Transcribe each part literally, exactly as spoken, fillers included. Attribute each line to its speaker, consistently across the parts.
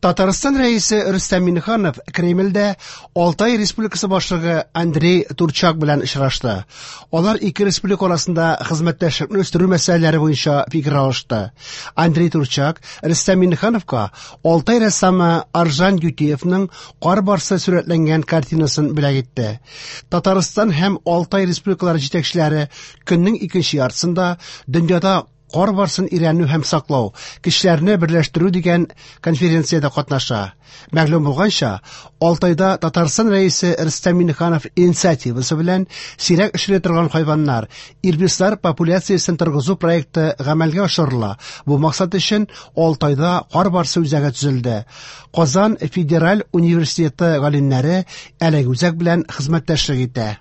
Speaker 1: Татарстан Рәисе Рөстәм Миңнеханов Кремльдә Алтай Республикасы башлыгы Андрей Турчак белән очрашты. Алар ике республика арасында хезмәттәшлекне үстерү мәсьәләләре буенча фикер алышты. Андрей Турчак Рөстәм Миңнехановка Алтай рәссамы Аржан Ютеевның кар барсы сурәтләнгән картинасын бүләк итте. Татарстан һәм Алтай республикалары җитәкчеләре көннең икенче яртысында дөньяда кар барсын өйрәнү һәм саклау, кешеләрне берләштерү дигән конференциядә катнаша. Мәгълүм булганча, Алтайда Татарстан Рәисе Рөстәм Миңнеханов инициативасы белән сирәк очрый торган хайваннар, ирбислар популяциясен торгызу проекты гамәлгә ашырыла. Бу максат өчен Алтайда кар барсы үзәге төзелде. Казан федераль университеты галимнәре әлеге үзәк белән хезмәттәшлек итә.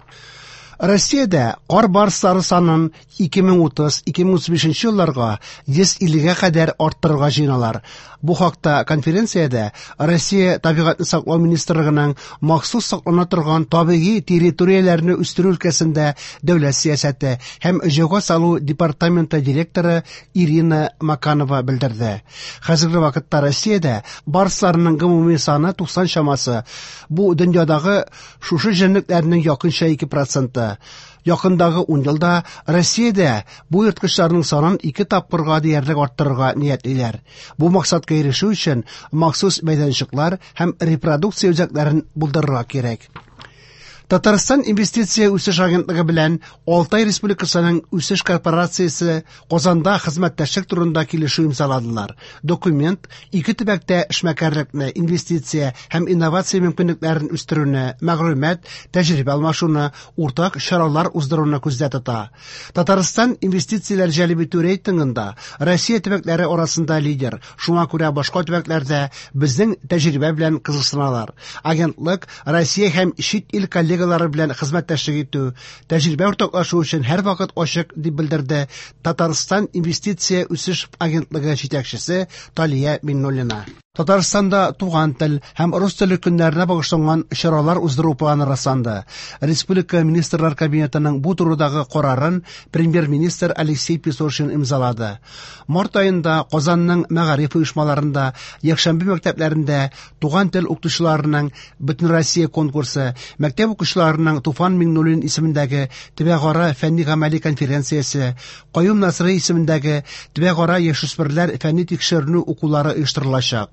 Speaker 1: Россиядә кар барслары санын ике мең утыз — ике мең утыз бишенче елларга йөз иллегә кадәр арттырырга җыеналар. Бу хакта конференциядә Россия табигатьне саклау министрлыгының махсус саклана торган табигый территорияләрне үстерү өлкәсендә дәүләт сәясәте һәм җайга салу департаменты директоры Ирина Маканова белдерде. Хәзерге вакытта Россиядә барсларның гомуми саны туксан чамасы. Бу дөньядагы шушы җәнлекләрнең якынча ике проценты. Якындагы ун елда Россиядә бу ерткычларның санын ике тапкырга диярлек арттырырга ниятлиләр. Бу максатка ирешү өчен махсус мәйданчыклар һәм репродукция үзәкләрен булдырырга кирәк. Татарстан инвестиция үсеш агентлыгы белән Алтай Республикасының үсеш корпорациясе Казанда хезмәттәшлек турында килешү имзаладылар. Документ ике төбәктә эшмәкәрлекне, инвестиция һәм инновация мөмкинлекләрен үстерүне, мәгълүмат, тәҗрибә алмашуны, уртак чаралар уздыруны күздә тота. Татарстан инвестицияләр җәлеп итү рейтингында Россия төбәкләре арасында лидер. Шуңа күрә башка төбәкләрдә безнең тәҗрибә белән кызыксыналар. Агентлык Россия һәм чит ил коллегалары белән хезмәттәшлек итү, тәҗрибә уртаклашу өчен һәрвакыт ачык, дип белдерде Татарстан инвестиция үсеш агентлыгы җитәкчесе Талия Миннуллина. Татарстанда туган тел һәм рус теле көннәренә багышланган чаралар уздыру планы расланды. Республика Министрлар Кабинетының бу турыдагы карарын премьер-министр Алексей Песошин имзалады. Март аенда Казанның мәгариф оешмаларында, якшәмбе мәктәпләрендә туган тел укытучыларының Бөтенроссия конкурсы, мәктәп укучыларының Туфан Миңнуллин исемендәге төбәкара фәнни-гамәли конференциясе, Каюм Насыйри исемендәге төбәкара яшүсмерләр фәнни тикшеренү укулары оештырылачак.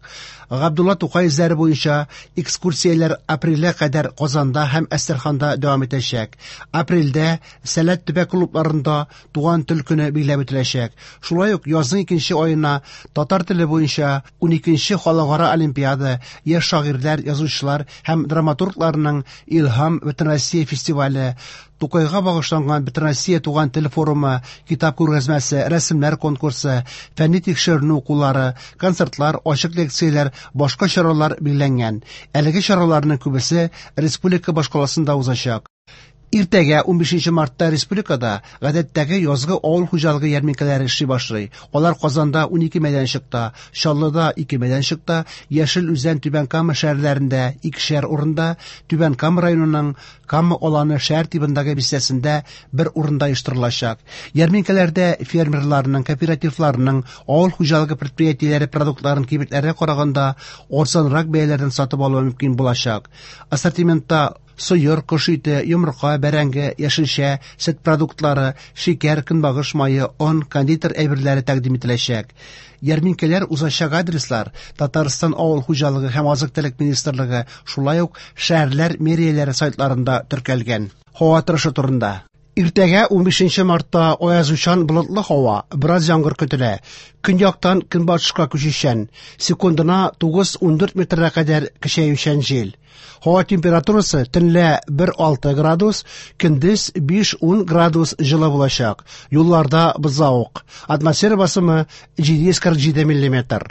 Speaker 1: Габдулла Тукай эзләре буенча экскурсияләр апрельгә кадәр Казанда һәм Әстерханда дәвам итәчәк. Апрельдә Сәләт төбәк клубларында туган тел көне билгеләп үтеләчәк. Шулай ук язның икенче аена татар теле буенча уникенче халыкара олимпиада, яшь шагыйрьләр, язучылар һәм драматургларның Илһам Бөтенроссия фестивале, Тукайга багышланган Бөтенроссия туган тел форумы, китап күргәзмәсе, рәсемнәр конкурсы, фәнни тикшеренү укулары, концертлар, ачык лекцияләр, башка чаралар билгеләнгән. Әлеге чараларның күбесе республика башкаласында узачак. Иртәгә унбишенче мартта республикада гадәттәге язгы авыл хуҗалыгы ярминкәләре эшли башлый. Алар Казанда унике мәйданчыкта, Чаллыда ике мәйданчыкта, Яшел Үзән, Түбән Кама шәһәрләрендә икешәр урында, Түбән Кама районының Кама аланы шәһәр тибындагы бистәсендә бер урында оештырылачак. Ярминкәләрдә фермерларның, кооперативларның, авыл хуҗалыгы предприятиеләре продуктларын кибетләргә караганда арзанрак бәяләрдән сатып алу мөмкин булачак. Ассортиментта сыер, кош ите, йомырка, бәрәңге, яшелчә, сөт продуктлары, шикәр, көнбагыш мае, он, кондитер әйберләре тәкъдим ителәчәк. Ярминкәләр узачак адреслар Татарстан авыл хуҗалыгы һәм азык-төлек министрлыгы, шулай ук шәһәрләр мэрияләре сайтларында теркәлгән. Һава торышы турында. Иртәгә унбишенче мартта аязучан болытлы һава, бераз яңгыр көтелә. Көньяктан көнбатышка күчүчән, секундына тугыз-ундүрт метрга кадәр көчәючән җил. Һава температурасы төнлә бер алты градус, көндез биш-ун градус җылы булачак. Юлларда бозлавык. Атмосфера басымы җиде йөз кырык җиде миллиметр.